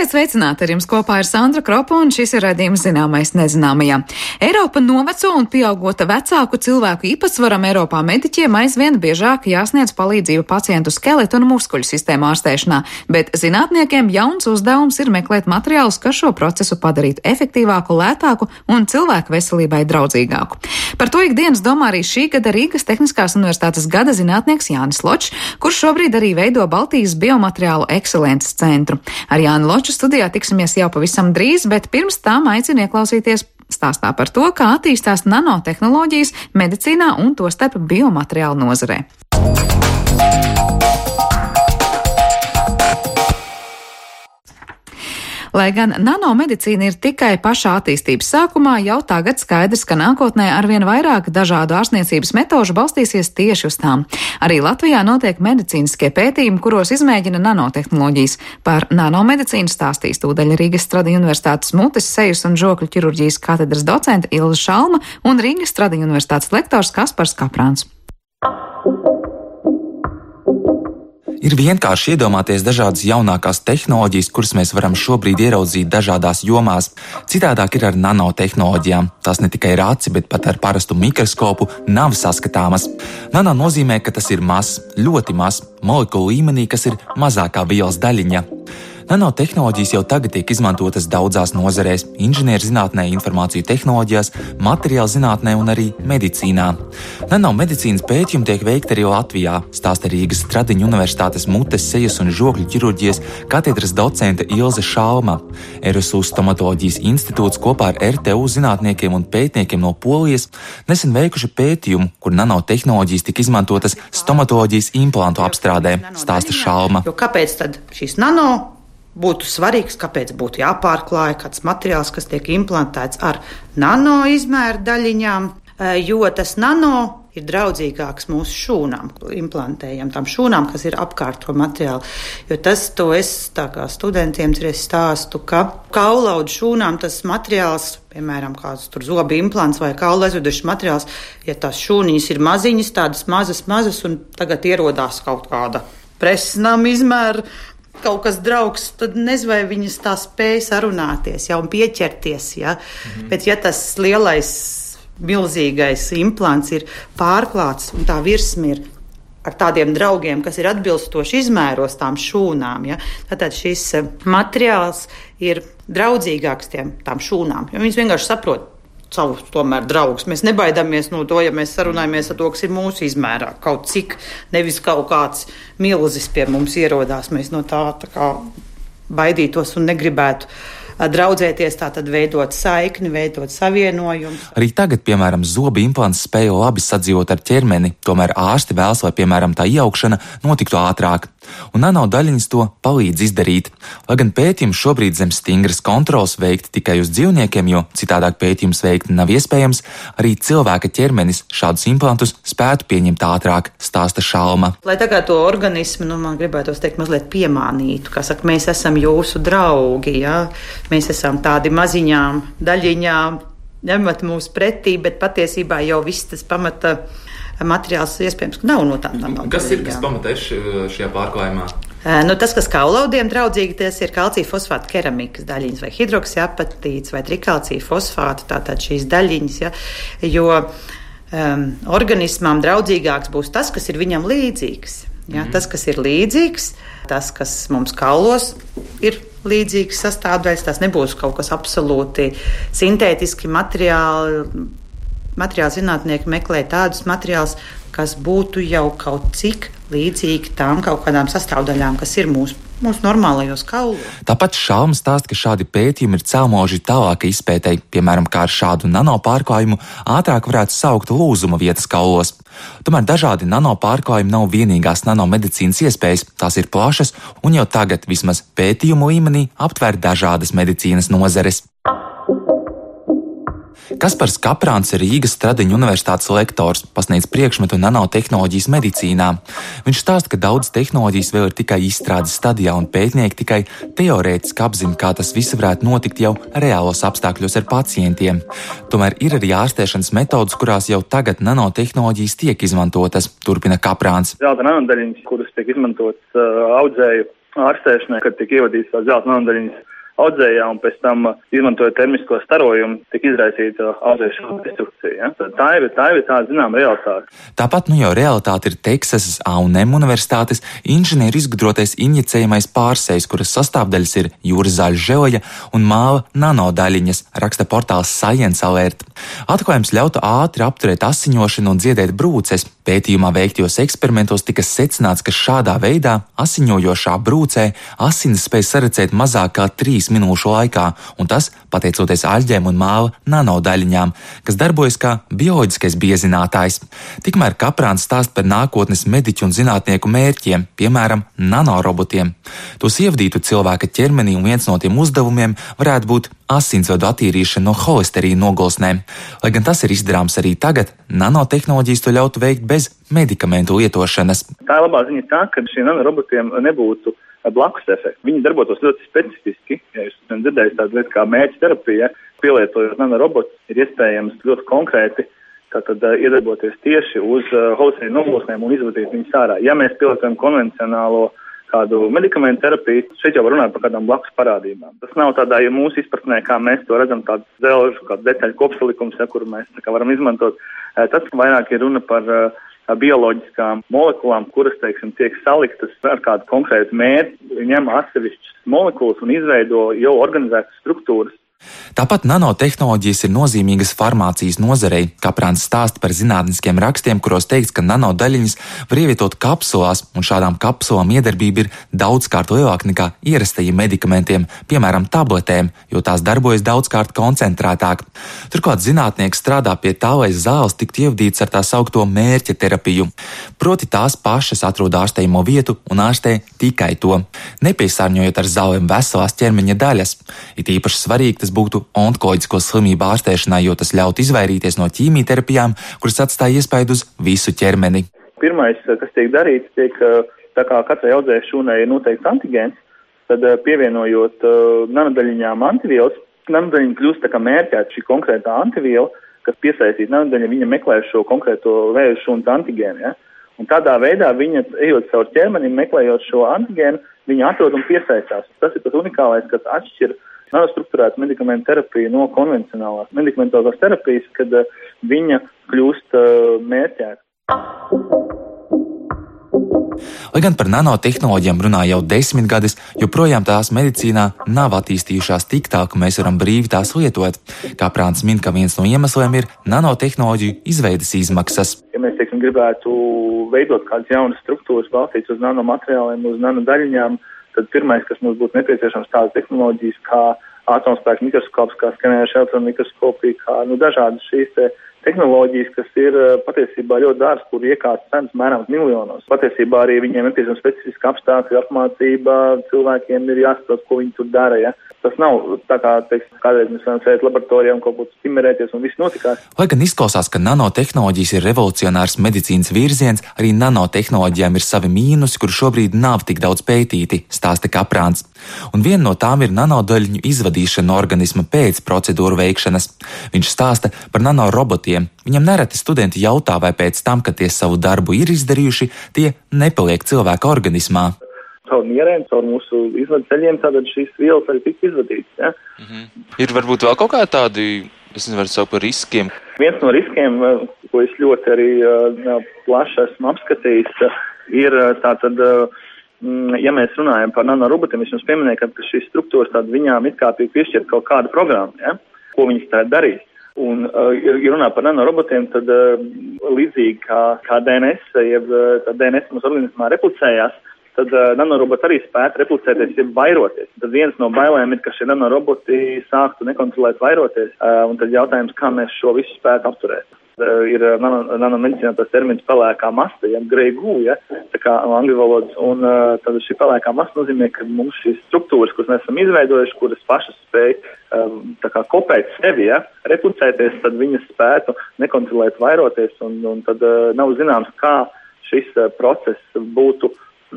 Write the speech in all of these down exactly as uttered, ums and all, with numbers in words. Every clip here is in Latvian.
Esiet sveicināti, ar jums kopā ir Sandra Kropa, un šis ir raidījums Zināmais nezināmajā. Eiropa noveco un pieaugota vecāku cilvēku īpatsvaram Eiropā mediķiem aizvien biežāk jāsniedz palīdzību pacientu skeletu un muskuļu sistēmu ārstēšanā, bet zinātniekiem jauns uzdevums ir meklēt materiālus, kas šo procesu padarītu efektīvāku, lētāku un cilvēku veselībai draudzīgāku. Par to ikdienas domā arī šī gada Rīgas Tehniskās universitātes gada zinātnieks Jānis Ločs, kurš šobrīd arī veido Baltijas biomateriālu ekscelences centru. Ar Jāni Loču studijā tiksimies jau pavisam drīz, bet pirms tam aicinu ieklausīties stāstā par to, kā attīstās nanotehnoloģijas medicīnā un tostarp biomateriālu nozarē. Lai gan nanomedicīna ir tikai pašā attīstības sākumā, jau tagad skaidrs, ka nākotnē arvien vairāk dažādu ārstniecības metožu balstīsies tieši uz tām. Arī Latvijā notiek medicīniskie pētījumi, kuros izmēģina nanotehnoloģijas. Par nanomedicīnu stāstīs tūdaļ Rīgas Stradiņu universitātes mutes, sejas un žokļu ķirurģijas katedras docente Ilze Šalma un Rīgas Stradiņu universitātes lektors Kaspars Kaprāns. Ir vienkārši iedomāties dažādas jaunākās tehnoloģijas, kuras mēs varam šobrīd ieraudzīt dažādās jomās. Citādāk ir ar nanotehnoloģijām. Tās ne tikai ar aci, bet pat ar parastu mikroskopu nav saskatāmas. Nano nozīmē, ka tas ir mazs, ļoti mazs, molekulu līmenī, kas ir mazākā vielas daļiņa. Nanotehnoloģijas jau tagad tiek izmantotas daudzās nozarēs - inženierzinātnē, informāciju tehnoloģijās, materiālu zinātnē un arī medicīnā. Nanomedicīnas pētījumi tiek veikti arī Latvijā, stāsta Rīgas Stradiņu universitātes mutes, sejas un žokļu ķirurģijas katedras docente Ilze Šalma. R S U stomatoloģijas institūts kopā ar R T U zinātniekiem un pētniekiem no Polijas nesen veikuši pētījumu, kur nanotehnoloģijas tika izmantotas stomatoloģijas implantu apstrādē, stāsta Šalma. Jo kāpēc tad šīs nano būtu svarīgs, kāpēc būtu jāpārklāj kāds materiāls, kas tiek implantēts ar nano izmēra daļiņām, jo tas nano ir draudzīgāks mūsu šūnām, implantējam tam šūnām, kas ir apkārt to materiālu. Jo tas, to es tā kā studentiem stāstu, ka kaulaudu šūnām tas materiāls, piemēram, kāds tur zobu implants vai kaula aizvedušs materiāls, ja tās šūniņas ir maziņas, tādas mazas, mazas, un tagad ierodās kaut kāda presnām izmēra, kaut kas draugs, tad nezinu, vai viņas tā spēj sarunāties, ja, un pieķerties, ja. Mhm. Bet ja tas lielais, milzīgais implants ir pārklāts, un tā virsma ir ar tādiem draugiem, kas ir atbilstoši izmēros tām šūnām, ja, tad šis materiāls ir draudzīgāks tiem, tām šūnām, jo viņas vienkārši saprot savus tomēr draugus. Mēs nebaidāmies no to, ja mēs sarunājamies ar to, kas ir mūsu izmērā. Kaut cik, nevis kaut kāds milzis pie mums ierodās. Mēs no tā, tā kā baidītos un negribētu draudzēties, tātad veidot saikni, veidot savienojumu. Arī tagad, piemēram, zobu implants spēja labi sadzīvot ar ķermeni, tomēr ārsti vēlas, lai, piemēram, tā ieaugšana notiktu ātrāk. Un nanodaļiņas to palīdz izdarīt. Lai gan pētījums šobrīd zem stingras kontrols veikti tikai uz dzīvniekiem, jo citādāk pētījums veikt nav iespējams, arī cilvēka ķermenis šādus implantus spētu pieņemt ātrāk, stāsta Šalma. Lai tagad to organismu, nu, man gribētos teikt, mazliet piemānītu, kā saka, mēs esam jūsu draugi, jā. Mēs esam tādi maziņām daļiņām, ņemat mūs pretī, bet patiesībā jau viss tas pamata materiāls iespējams nav no tām nanodalījām. Kas ir, kas pamata ir šajā pārklājumā? Nu, tas, kas kaulaudiem draudzīgi, tas ir kalcija fosfāta keramikas daļiņas vai hidroksiapatīts vai trikalcija fosfāta, tātad šīs daļiņas, ja, jo um, organismām draudzīgāks būs tas, kas ir viņam līdzīgs. Ja, mm. Tas, kas ir līdzīgs, tas, kas mums kaulos ir līdzīgas sastāvdaļas, tās nebūs kaut kas absolūti sintētiski materiāli. Materiāli zinātnieki meklē tādus materiālus, kas būtu jau kaut cik līdzīgi tām kaut kādām sastāvdaļām, kas ir mūsu, mūsu normālajos kaulos. Tāpat Šalma stāsta, ka šādi pētījumi ir cēloži tālākai izpētei, piemēram, kā ar šādu nanopārklājumu ātrāk varētu saukt lūzuma vietas kaulos. Tomēr dažādi nanopārklājumi nav vienīgās nanomedicīnas iespējas, tās ir plašas un jau tagad vismaz pētījumu līmenī aptver dažādas medicīnas nozares. Kaspars Kaprāns ir Rīgas Stradiņu universitātes lektors, pasniedz priekšmetu nanotehnoloģijas medicīnā. Viņš stāsta, ka daudz tehnoloģijas vēl ir tikai izstrādes stadijā un pētnieki tikai teorētiski apzina, kā tas viss varētu notikt jau reālos apstākļos ar pacientiem. Tomēr ir arī ārstēšanas metodas, kurās jau tagad nanotehnoloģijas tiek izmantotas, turpina Kaprāns. Zelta nanodaļiņas, kuras tiek izmantotas uh, audzēju ārstēšanai, kad tiek ievadītas tās zelta nanodaļiņas audzējā un pēc tam izmantojot termisko starojumu, tiek izraisīta audzēšanas destrukcija. Ja? Tā ir, tā ir tā, zinām, realitāte. Tāpat nu jau realitāte ir Teksasas A un M universitātes inženieru izgudrotais injicējamais pārsejs, kuras sastāvdaļas ir jūras zāļu žeoja un māva nanodaļiņas, raksta portāls Science Alert. Atklājums ļautu ātri apturēt asiņošanu un dziedēt brūces. Pētījumā veiktajos eksperimentos tika secināts, ka šādā veidā asiņojošā brūcē asinis spēj saredzēt mazāk kā trīs minūšu laikā, un tas pateicoties aļģēm un māva nanodaļiņām, kas darbojas kā bioloģiskais biezinātājs. Tikmēr Kaprāns stāst par nākotnes mediķu un zinātnieku mērķiem, piemēram, nanorobotiem. Tos ievadītu cilvēka ķermenī, un viens no tiem uzdevumiem varētu būt asinsvadu attīrīšana no holesterīna nogulsnēm. Lai gan tas ir izdarāms arī tagad, nanotehnoloģijas to ļautu veikt bez medikamentu lietošanas. Tā labā ziņa tā, ka šiem nanorobotiem nebūtu blakus efekti. Viņi darbotos ļoti specifiski. Ja jūs esat dzirdējis tādu lietu kā mērķa terapija, pielietojot nanorobotus, ir iespējams ļoti konkrēti tātad iedarboties tieši uz holesterīna nogulsnēm un izvadīt viņus ārā. Ja mēs pielietojam konvencionālo kādu medikamentu terapiju, šeit jau var runāt par kādām blakus parādībām. Tas nav tādā, ja mūsu izpratnē, kā mēs to redzam, tāds zelžu, kāds detaļu kopsalikums, ja, kuru mēs tā kā varam izmantot. Tas vairāk ir runa par uh, bioloģiskām molekulām, kuras, teiksim, tiek saliktas ar kādu konkrētu mērķi, ņem atsevišķas molekulas un izveido jau organizētas struktūras. Tāpat nanotehnoloģijas ir nozīmīgas farmācijas nozarei. Kaprāns stāsta par zinātniskiem rakstiem, kuros teikts, ka nanodaļiņas var ievietot kapsulās, un šādām kapsulām iedarbība ir daudzkārt lielāka nekā ierastajiem medikamentiem, piemēram, tabletēm, jo tās darbojas daudzkārt koncentrētāk. Turklāt zinātnieki strādā pie tā, lai zāles tiktu ievadītas ar tā saukto mērķa terapiju. Proti tās pašas atrod ārstējamo vietu un ārstē tikai to, nepiesārņojot ar zālēm veselās ķermeņa daļas. It īpaši svarīgi tas būtu onkoloģisko slimību ārstēšanā, jo tas ļaut izvairīties no ķīmijterapijām, kuras atstāja iespaidu uz visu ķermeni. Pirmais, kas tiek darīts, tiek, tā kā katrai audzēju šūnai ir noteikts antigēns, tad pievienojot nanodaļiņām antivielas, nanodaļiņa kļūst tā kā mērķēta šī konkrētā antiviela, kas piesaistīt nanodaļiņa, viņa meklē šo konkrēto vēju šūnas antigēnu. Ja? Un tādā veidā viņa, ejot caur ķermeni, meklējot šo antigēnu, viņa atrod un piesaistās. Tas ir tas unikālais, kas atšķir nanostruktūrētu medikamentu terapiju no konvencionālās medikamentozās terapijas, kad uh, viņa kļūst uh, mērķēta. Lai gan par nanotehnoloģijām runā jau desmitgades, joprojām tās medicīnā nav attīstījušās tik tā, ka mēs varam brīvi tās lietot. Kaprāns min, ka viens no iemesliem ir nanotehnoloģiju izveides izmaksas. Ja mēs, teiksim, gribētu veidot kādas jaunas struktūras balstītas uz nanomateriāliem, uz nanodaļiņām, tad pirmais, kas mums būtu nepieciešams, tādas tehnoloģijas kā atomspēka mikroskops, kā skenējoša elektronmikroskopija, kā nu, dažādas šīs te tehnoloģijas, kas ir patiesībā ļoti dārgas, kur iekārtas cenas mēram miljonos. Patiesībā arī viņiem nepieciešams specifiski apstākļi, apmācība, cilvēkiem ir jāsaprot, ko viņi tur dara. Ja? Tas nav tā kā, teiksim, kādreiz mēs varam sēdēt laboratorijā un kaut ko stimulēties un viss notikās. Lai gan izklausās, ka nanotehnoloģijas ir revolucionārs medicīnas virziens, arī nanotehnoloģijām ir savi mīnusi, kur šobrīd nav tik daudz pētīti, stāsta Kaprāns. Un viena no tām ir nanodaļiņu izvadīšana no organisma pēc procedūru veikšanas. Viņš stāsta par nanorobotiem. Viņam nereti studenti jautā, vai pēc tam, kad tie savu darbu ir izdarījuši, tie nepaliek cilvēka organismā. Caur mierēm, caur mūsu izvadu ceļiem, tātad šīs vielas arī tika izvadītas. Ja? Mm-hmm. Ir varbūt vēl kaut kā tādi, es nevaru saukt par riskiem. Viens no riskiem, ko es ļoti arī uh, plaši esmu apskatījis, ir tātad, uh, ja mēs runājam par nanorobotiem, es jums pieminēju, ka šīs struktūras tātad viņām it kā tiek piešķirt kaut kāda programma, ja? Ko viņas tā darīs. Un, uh, ja runā par nanorobotiem, tad uh, līdzīgi kā, kā D N S, jeb uh, D N S mūsu organismā replicējās, tad uh, nanoroboti arī spētu replicēties, ja vairoties. Tad viens no bailēm ir, ka šie nanoroboti sāktu nekontrolēt vairoties, uh, un tad jautājums, kā mēs šo visu spētu apturēt. Uh, ir nano, nanomedicīnā tas termins pelēkā masta, ja, grey goo, ja, tā kā angļu valodas, un uh, tad šī pelēkā masta nozīmē, ka mums šīs struktūras, kuras mēs esam izveidojuši, kuras pašas spēj um, tā kā kopēt sevi, ja, replicēties, tad viņas spētu nekontrolēt vairoties, un, un tad uh, nav zināms, kā šis uh, process būtu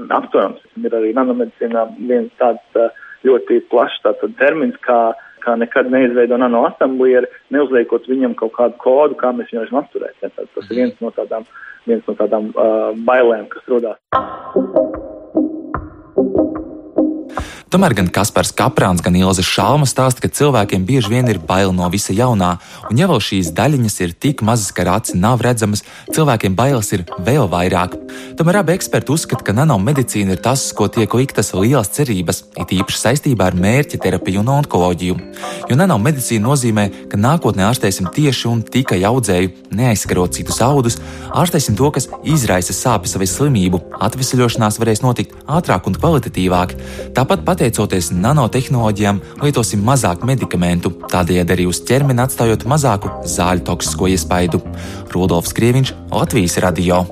apturams. Ir arī nanomedicīnā viens tāds ļoti plašs tāds termins, kā, kā nekad neizveido nanoasamblieri, neuzliekot viņam kaut kādu kodu, kā mēs viņu varam apturēt. Ja, tas ir viens no tādām, viens no tādām uh, bailēm, kas rodās. Tomēr gan Kaspars Kaprāns, gan Ilze Šalma stāsta, ka cilvēkiem bieži vien ir bail no visa jaunā, un ja vēl šīs daļiņas ir tik mazas, ka ar aci nav redzamas, cilvēkiem bailes ir vēl vairāk. Tomēr abi eksperti uzskata, ka nanomedicīna ir tas, ko tiek liktas lielas cerības, it īpaši saistībā ar mērķa terapiju un onkoloģiju. Jo nanomedicīna nozīmē, ka nākotnē ārstēsim tieši un tikai audzēju, neaizskarot citus audus, ārstēsim to, kas izraisa sāpes vai slimību, atvesaļošanās varēs notikt ātrāk un kvalitatīvāk. Tāpat pateicoties nanotehnoloģijām, lietosim mazāk medikamentu, tādējādi arī uz ķermeni atstājot mazāku zāļu toksisko iespaidu. Rudolfs Krieviņš, Latvijas radio.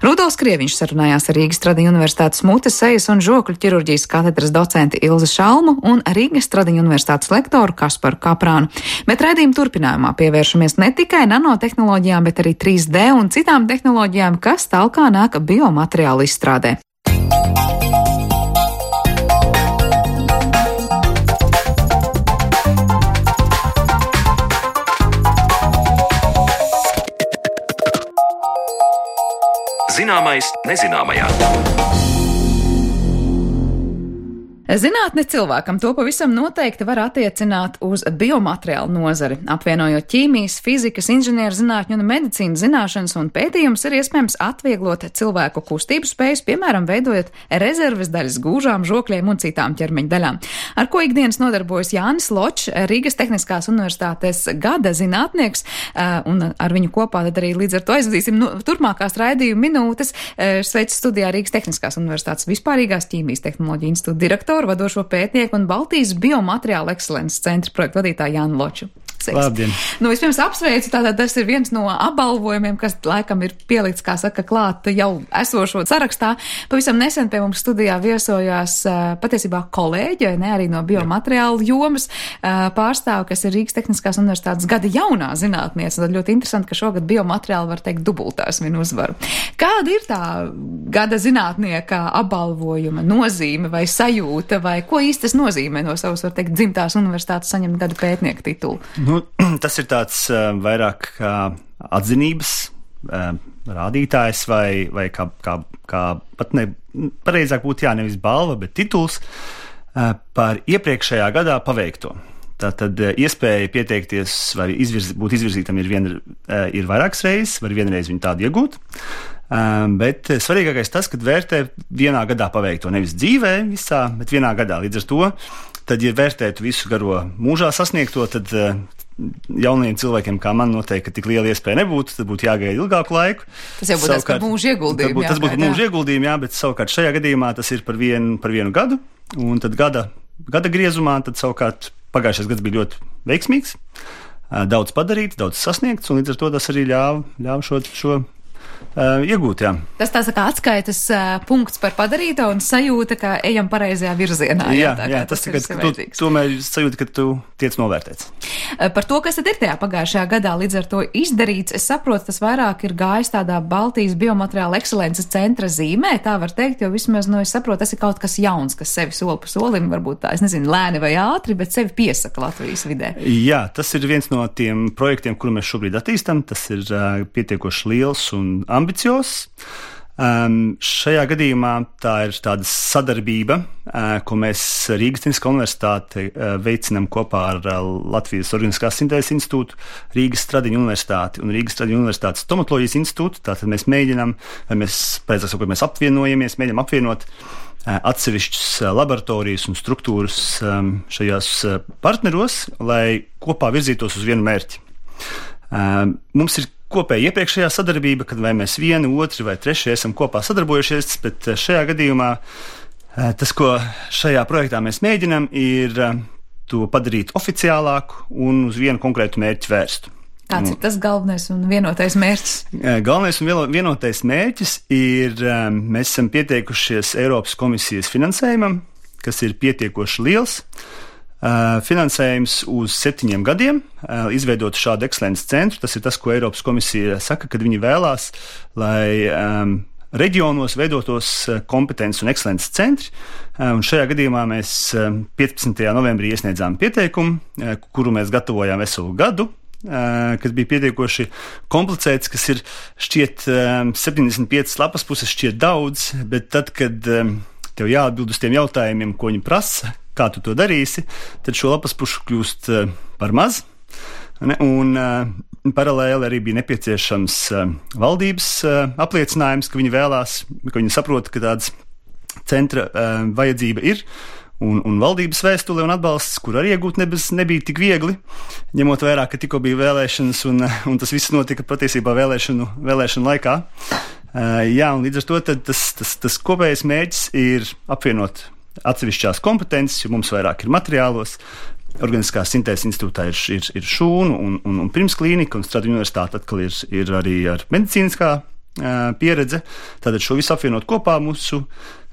Rudolfs Krieviņš sarunājās ar Rīgas Tradiņu Universitātes mutes, sejas un žokļu ķirurģijas katedras docenti Ilzi Šalmu un Rīgas Tradiņu Universitātes lektoru Kasparu Kaprānu. Bet raidījuma turpinājumā pievēršamies ne tikai nanotehnoloģijām, bet arī trīs D un citām tehnoloģijām, kas talkā nāk biomateriālu izstrādē. Zināmais nezināmajā. Zinātne cilvēkam to pavisam noteikti var attiecināt uz biomateriālu nozari. Apvienojot ķīmijas, fizikas, inženierzinātņu un medicīnas zināšanas un pētījumus, ir iespējams atvieglot cilvēku kustību spējas, piemēram, veidojot rezerves daļas gūžām, žokļiem un citām ķermeņa daļām. Ar ko ikdienas nodarbojas Jānis Ločs, Rīgas Tehniskās universitātes gada zinātnieks, un ar viņu kopā tad arī līdz ar to aizvadīsim nu, turpmākās raidījuma minūtes. Sveicu studijā Rīgas Tehniskās universitātes vispārīgās ķīmijas tehnoloģiju institūta direktoru, vadošo pētnieku un Baltijas biomateriālu ekscelences centra projektu vadītāju Jānu Loču. Labdien. Nu, vispirms apsveicu, tātad tas ir viens no apbalvojumiem, kas laikam ir pielikts, kā saka, klāt jau esošo sarakstā. Pavisam nesen pie mums studijā viesojās patiesībā kolēģi, ne arī no biomateriālu jomas pārstāvi, kas ir Rīgas Tehniskās universitātes gada jaunā zinātniece. Tad ļoti interesanti, ka šogad biomateriāli var teikt dubultās viņu uzvaru. Kāda ir tā gada zinātnieka apbalvojuma nozīme vai sajūta, vai ko īsti tas nozīmē no savas, var teikt, dzimtās universitātes saņemt gada pētnieka titulu? Nu, tas ir tāds uh, vairāk kā atzinības uh, rādītājs vai, vai kā, kā, kā pat ne, pareizāk būtu jā, nevis balva, bet tituls uh, par iepriekšējā gadā paveikto. Tātad uh, iespēja pieteikties vai izvirz, būt izvirzītam ir, vien, uh, ir vairākas reizes, var vienreiz viņu tādu iegūt. Um, bet svarīgākais tas, kad vērtē vienā gadā paveikto, nevis dzīvē visā, bet vienā gadā. Līdz ar to, tad, ja vērtētu visu garo mūžā sasniegto, tad uh, jauniem cilvēkiem, kā man, noteikti, ka tik liela iespēja nebūtu, tad būtu jāgaida ilgāku laiku. Tas jau būtu tas par mūža ieguldījumu. Tas būtu mūža ieguldījumu, jā, bet savukārt šajā gadījumā tas ir par vienu, par vienu gadu, un tad gada, gada griezumā, tad savukārt pagājušais gads bija ļoti veiksmīgs, daudz padarīts, daudz sasniegts, un līdz ar to tas arī ļāva, ļāva šo, šo Uh, iegūt, jā. Tas tās kā atskaitas uh, punkts par padarīto un sajūta, ka ejam pareizajā virzienā. Jā, jā, jā tas, tas ir tu, tomēr sajūta, ka tu tiec novērtēts. Uh, par to, kas tad ir tajā pagājušajā gadā līdz ar to izdarīts, es saprotu, tas vairāk ir gājis tādā Baltijas biomateriāla ekscelences centra zīmē, tā var teikt, jo vismaz, nu, es saprotu, tas ir kaut kas jauns, kas sevi soli pa solim, varbūt tā, es nezinu, lēni vai ātri, bet sevi piesaka Latvijas vidē. Jā, tas ir viens no tiem projektiem, kuru mēs šobrīd attīstam, tas ir uh, pietiekoši liels un ambiciozs. Um, šajā gadījumā tā ir tāda sadarbība, uh, ko mēs Rīgas Tehniskā universitāte uh, veicinām kopā ar uh, Latvijas Organiskās sintēzes institūtu, Rīgas Tradiņu universitāti un Rīgas Tradiņu universitātes stomatoloģijas institūtu. Tātad mēs mēģinām, vai mēs, pēc tam, mēs apvienojamies, mēģinām apvienot uh, atsevišķas uh, laboratorijas un struktūras um, šajās uh, partneros, lai kopā virzītos uz vienu mērķi. Uh, mums ir kopēja iepriekšējā sadarbība, kad vai mēs vieni, otri vai trešie esam kopā sadarbojušies, bet šajā gadījumā tas, ko šajā projektā mēs mēģinām, ir to padarīt oficiālāku un uz vienu konkrētu mērķi vērstu. Kāds ir tas galvenais un vienotais mērķis? Galvenais un vienotais mērķis ir, mēs esam pieteikušies Eiropas komisijas finansējumam, kas ir pietiekoši liels. Uh, finansējums uz septiņiem gadiem, uh, izveidot šādu ekscelences centru. Tas ir tas, ko Eiropas komisija saka, kad viņi vēlās, lai um, reģionos veidotos uh, kompetences un ekscelences centri. Uh, un šajā gadījumā mēs uh, piecpadsmitajā novembrī iesniedzām pieteikumu, uh, kuru mēs gatavojām veselu gadu, uh, kas bija pietiekoši komplicēts, kas ir šķiet um, septiņdesmit piecas lapas puses šķiet daudz, bet tad, kad um, tev jāatbild uz tiem jautājumiem, ko viņi prasa, kā tu to darīsi, tad šo lapas pušu kļūst par maz. Ne? Un uh, paralēli arī bija nepieciešams uh, valdības uh, apliecinājums, ka viņi vēlās, ka viņi saprot, ka tāds centra uh, vajadzība ir. Un, un valdības vēstule un atbalsts, kur arī iegūt nebez, nebija tik viegli, ņemot vērā, ka tikko bija vēlēšanas un, un tas viss notika patiesībā vēlēšanu, vēlēšanu laikā. Uh, jā, un līdz ar to tas, tas, tas kopējais mērķis ir apvienot atsevišķās kompetences, jo mums vairāk ir materiālos. Organiskās sintēzes institūtā ir, ir, ir šūnu un, un, un pirmsklīnika, un Stradiņu universitāte atkal ir, ir arī ar medicīniskā uh, pieredze. Tātad šo visu apvienot kopā mūsu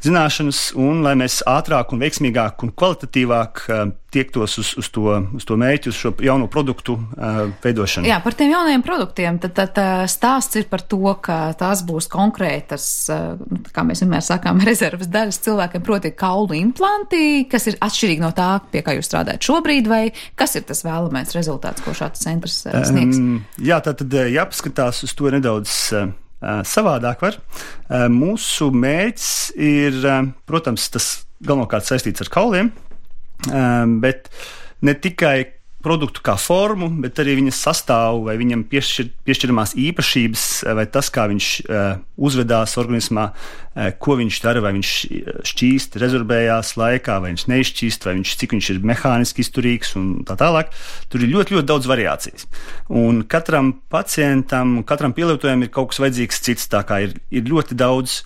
zināšanas, un lai mēs ātrāk un veiksmīgāk un kvalitatīvāk uh, tiektos uz, uz, to, uz to mērķi, uz šo jauno produktu uh, veidošanu. Jā, par tiem jaunajiem produktiem. Tad, tad stāsts ir par to, ka tās būs konkrētas, uh, kā mēs vienmēr sakām, rezerves daļas cilvēkiem, proti kaulu implanti, kas ir atšķirīgi no tā, pie kā jūs strādājat šobrīd, vai kas ir tas vēlamais rezultāts, ko šāds centrs uh, sniegs? Um, jā, tātad jāpaskatās uz to nedaudz uh, savādāk var. Mūsu mērķis ir, protams, tas galvenokārt saistīts ar kauliem, bet ne tikai produktu kā formu, bet arī viņas sastāvu vai viņam piešķir, piešķiramās īpašības vai tas, kā viņš uh, uzvedās organismā, uh, ko viņš dara, vai viņš šķīst, rezorbējās laikā, vai viņš neizšķīst, vai viņš, cik viņš ir mehāniski izturīgs un tā tālāk. Tur ir ļoti, ļoti daudz variācijas. Un katram pacientam, katram pielietojumam ir kaut kas vajadzīgs cits, tā kā ir, ir ļoti daudz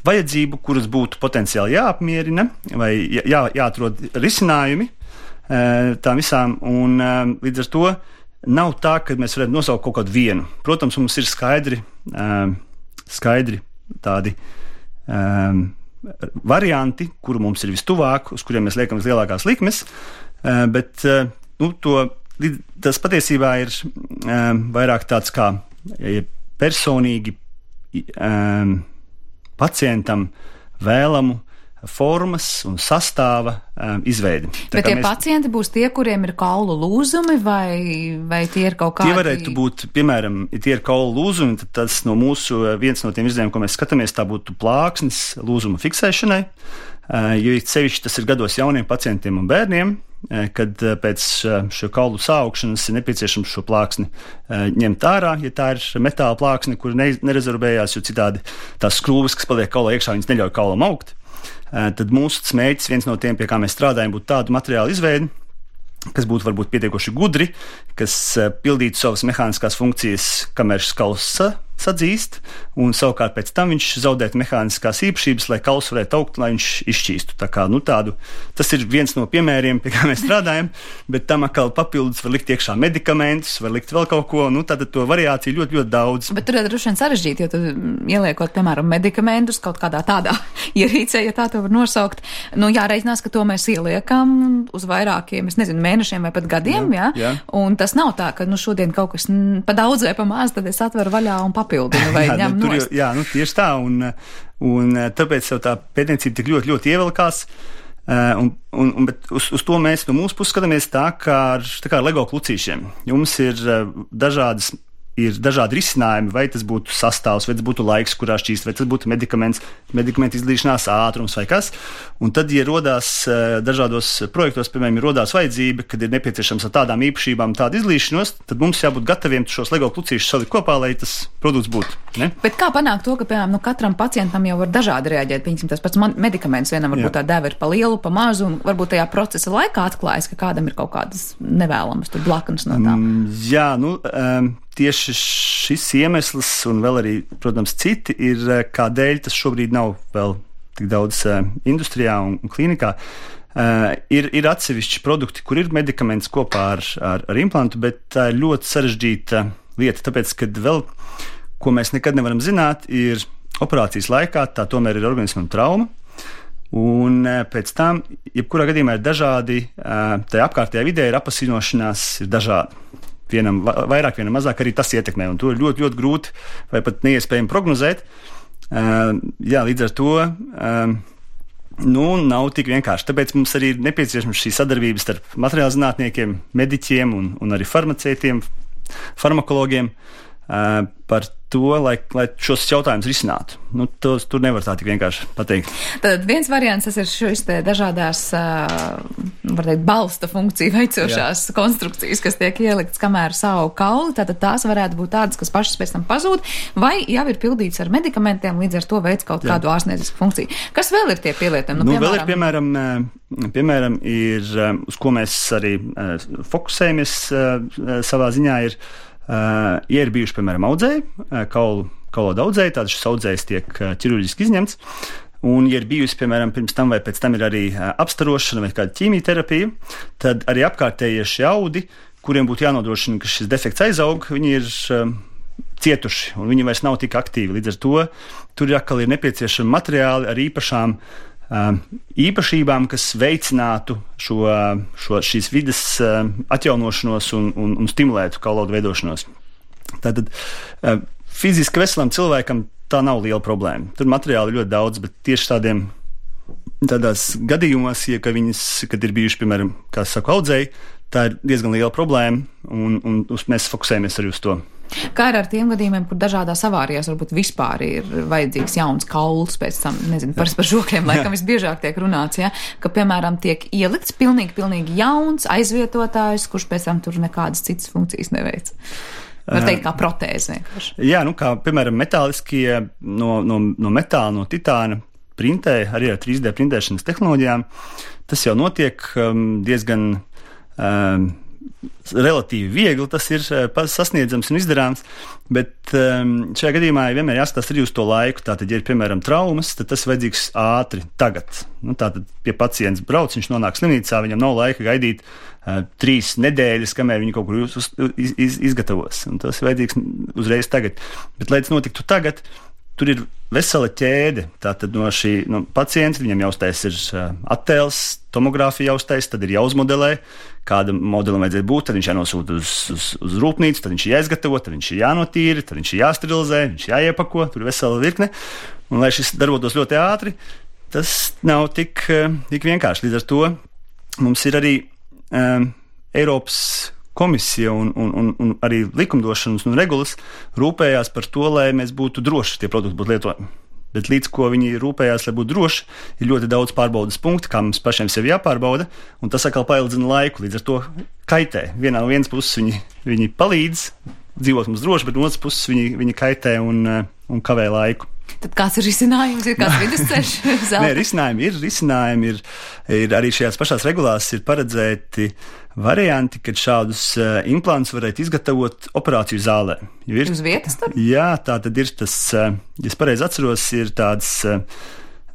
vajadzību, kuras būtu potenciāli jāapmierina vai jā, jāatrod risinājumi tām visām, un līdz ar to nav tā, ka mēs varētu nosaukt kaut kādu vienu. Protams, mums ir skaidri, skaidri tādi um, varianti, kuru mums ir vistuvāk, uz kuriem mēs liekam vislielākās likmes, bet nu, to, tas patiesībā ir um, vairāk tāds kā ja personīgi um, pacientam vēlamu formas un sastāva um, izveidi. Bet tie mēs... pacienti būs tie, kuriem ir kaulu lūzumi, vai, vai tie ir kaut kādi? Tie varētu būt, piemēram, ja tie ir kaulu lūzumi, tad tas no mūsu, viens no tiem izdevumiem, ko mēs skatāmies, tā būtu plāksnes lūzuma fiksēšanai, uh, jo sevišķi tas ir gados jauniem pacientiem un bērniem, uh, kad uh, pēc uh, šo kaulu saaugšanas ir nepieciešams šo plāksni uh, ņemt ārā, ja tā ir metāla plāksne, kur ne, nerezorbējās, jo citādi tās skrūves, kas paliek kaulā iekšā, viņas neļauj kaulam augt. Tad mūsu mērķis, viens no tiem, pie kā mēs strādājam, būtu tādu materiālu izveidi, kas būtu varbūt pietiekoši gudri, kas pildītu savas mehāniskās funkcijas, kamēr šis kauls sadzīst, un savukārt pēc tam viņš zaudētu mehāniskās īpašības, lai kauls varētu augt, lai viņš izšķīstu. Tā kā, nu, tādu, tas ir viens no piemēriem, pie kā mēs strādājam, bet tam atkal papildus var likt iekšā medikamentus, var likt vēl kaut ko, nu, tātad to variāciju ļoti, ļoti daudz. Bet tur ir droši vien sarežģīti, jo tad ieliekot, piemēram, medikamentus kaut kādā tādā ierīcē, ja tā to var nosaukt, nu, jāreikinās, ka to mēs ieliekam uz vairākiem, es nezinu, mēnešiem vai pat gadiem, jā, jā? jā. Un tas nav tā, ka, nu, šodien kaut kas pa daudz vai pa maz, tad es atveru vaļā un papildinu vai jā, ņem nu, nost. Jā, nu, tieši tā, un, un tāpēc jau tā pētniecība tik ļoti, ļoti ievilkās, un, un, un, bet uz, uz to mēs no mūsu puses skatāmies tā kā ar, tā kā ar Lego klucīšiem. Jums ir dažādas ir dažādi risinājumi, vai tas būtu sastāvs, vai tas būtu laiks, kurā šķīst, vai tas būtu medikaments, medikamentu izlīšanās ātrums vai kas. Un tad, ja rodās dažādos projektos, piemēram, ir rodās vajadzība, kad ir nepieciešams ar tādām īpašībām tādu izlīšanos, tad mums jābūt gataviem šos Lego klucīšus salikt kopā, lai tas produkts būtu. Ne? Bet kā panākt to, ka, piemēram, nu, katram pacientam jau var dažādi reaģēt? Piemēram, tas pats medikaments vienam varbūt tā deva ir pa lielu, pa mazu, un varbūt tajā procesa laikā atklājas, ka kādam ir kaut kādas nevēlamas tur blaknes no tām. Mm, jā, nu... Um, Tieši šis iemesls un vēl arī, protams, citi ir, kādēļ tas šobrīd nav vēl tik daudz uh, industrijā un, un klīnikā. Uh, ir, ir atsevišķi produkti, kur ir medikaments kopā ar, ar, ar implantu, bet tā ir ļoti sarežģīta lieta, tāpēc, ka vēl, ko mēs nekad nevaram zināt, ir operācijas laikā, tā tomēr ir organismam trauma. Un uh, pēc tam, jebkurā gadījumā ir dažādi, uh, tajā apkārtējā vidē ir apasinošanās, ir dažādi. Vienam vairāk, vienam mazāk, arī tas ietekmē, un to ir ļoti, ļoti grūti vai pat neiespējami prognozēt. Uh, jā, līdz ar to uh, nu, nav tik vienkārši. Tāpēc mums arī ir nepieciešama šī sadarbība starp materiālu zinātniekiem, mediķiem un, un arī farmaceitiem, farmakologiem uh, par to, lai, lai šos jautājumus risinātu. Nu, tos, tur nevar tā tik vienkārši pateikt. Tad viens variants tas ir šis te dažādās, var teikt, balsta funkciju veicošās Jā. konstrukcijas, kas tiek ieliktas, kamēr savu kauli, tātad tās varētu būt tādas, kas pašas pēc tam pazūd, vai jau ir pildīts ar medikamentiem, līdz ar to veids kaut Jā. kādu ārstniecisku funkciju. Kas vēl ir tie pielietojumi? Nu, nu, piemēram, vēl ir, piemēram, piemēram, ir, uz ko mēs arī fokusējamies savā ziņā, ir Uh, ja ir bijuši, piemēram, audzēji, uh, kaulu, kaulodu audzēji, tad šis audzējs tiek uh, ķirurģiski izņemts, un, ja ir bijusi, piemēram, pirms tam vai pēc tam ir arī uh, apstarošana vai kāda ķīmijterapija, tad arī apkārtējie šie audi, kuriem būtu jānodrošina, ka šis defekts aizaug, viņi ir uh, cietuši, un viņi vairs nav tik aktīvi. Līdz ar to tur atkal ir nepieciešami materiāli ar īpašām īpašībām, kas veicinātu šo, šo, šīs vides atjaunošanos un, un, un stimulētu kaulodu veidošanos. Tātad fiziski veselam cilvēkam tā nav liela problēma. Tur materiāli ļoti daudz, bet tieši tādiem tādās gadījumos, ja, ka viņas, kad ir bijuši, piemēram, kā saka, audzēji, tā ir diezgan liela problēma, un, un mēs fokusējamies arī uz to. Kā ir ar tiem gadījumiem, kur dažādās avārijās varbūt vispār ir vajadzīgs jauns kauls pēc tam, nezinu, par, par žokļiem, laikam visbiežāk tiek runāts, ja, ka, piemēram, tiek ielikts pilnīgi, pilnīgi jauns aizvietotājs, kurš pēc tam tur nekādas citas funkcijas neveic. Var teikt, kā protēze vienkārši. Jā, nu kā, piemēram, metāliskie no, no, no metāla, no titāna printē, arī ar trīs D printēšanas tehnoloģijām. Tas jau notiek um, diezgan um, relatīvi viegli, tas ir sasniedzams un izdarāms, bet um, šajā gadījumā vienmēr jāskatās arī uz to laiku. Tātad, ja ir, piemēram, traumas, tad tas vajadzīgs ātri, tagad. Nu, tātad, pie pacients brauc, viņš nonāk slimnīcā, viņam nav laika gaidīt uh, trīs nedēļas, kamēr viņi kaut kur uz, uz, iz, iz, izgatavos. Un tas vajadzīgs uzreiz tagad. Bet, lai tas notiktu tagad, tur ir vesela ķēde. Tātad no šī no pacienta viņam jāuztais ir uh, attēls, tomogrāfija jāuztais, tad ir jāuzmodelē, kāda modelim vajadzētu būt, tad viņš jānosūta uz, uz, uz rūpnīcu, tad viņš ir jāizgatavo, tad viņš ir jānotīra, tad viņš ir jāsterilizē, viņš ir jāiepako, tur ir vesela virkne. Un, lai šis darbotos ļoti ātri, tas nav tik, tik vienkārši. Līdz ar to mums ir arī um, Eiropas komisija un, un, un, un arī likumdošanas un regulas rūpējās par to, lai mēs būtu droši, tie produkti būtu lietojami. Bet līdz ko viņi rūpējās, lai būtu droši, ir ļoti daudz pārbaudas punktu, kā mums pašiem sevi jāpārbauda, un tas atkal paildzina laiku, līdz ar to kaitē. Vienā no vienas puses viņi, viņi palīdz dzīvot mums droši, bet no otras puses viņi, viņi kaitē un, un kavē laiku. Tad kāds ir risinājums, ir kāds vidusceļš? Nē, risinājumi ir, risinājumi ir, ir arī šajās pašās regulās ir paredzēti varianti, kad šādus uh, implantus varētu izgatavot operāciju zālē. Ir, uz vietas tad? Jā, tā tad ir tas, uh, ja es pareizi atceros, ir tāds uh,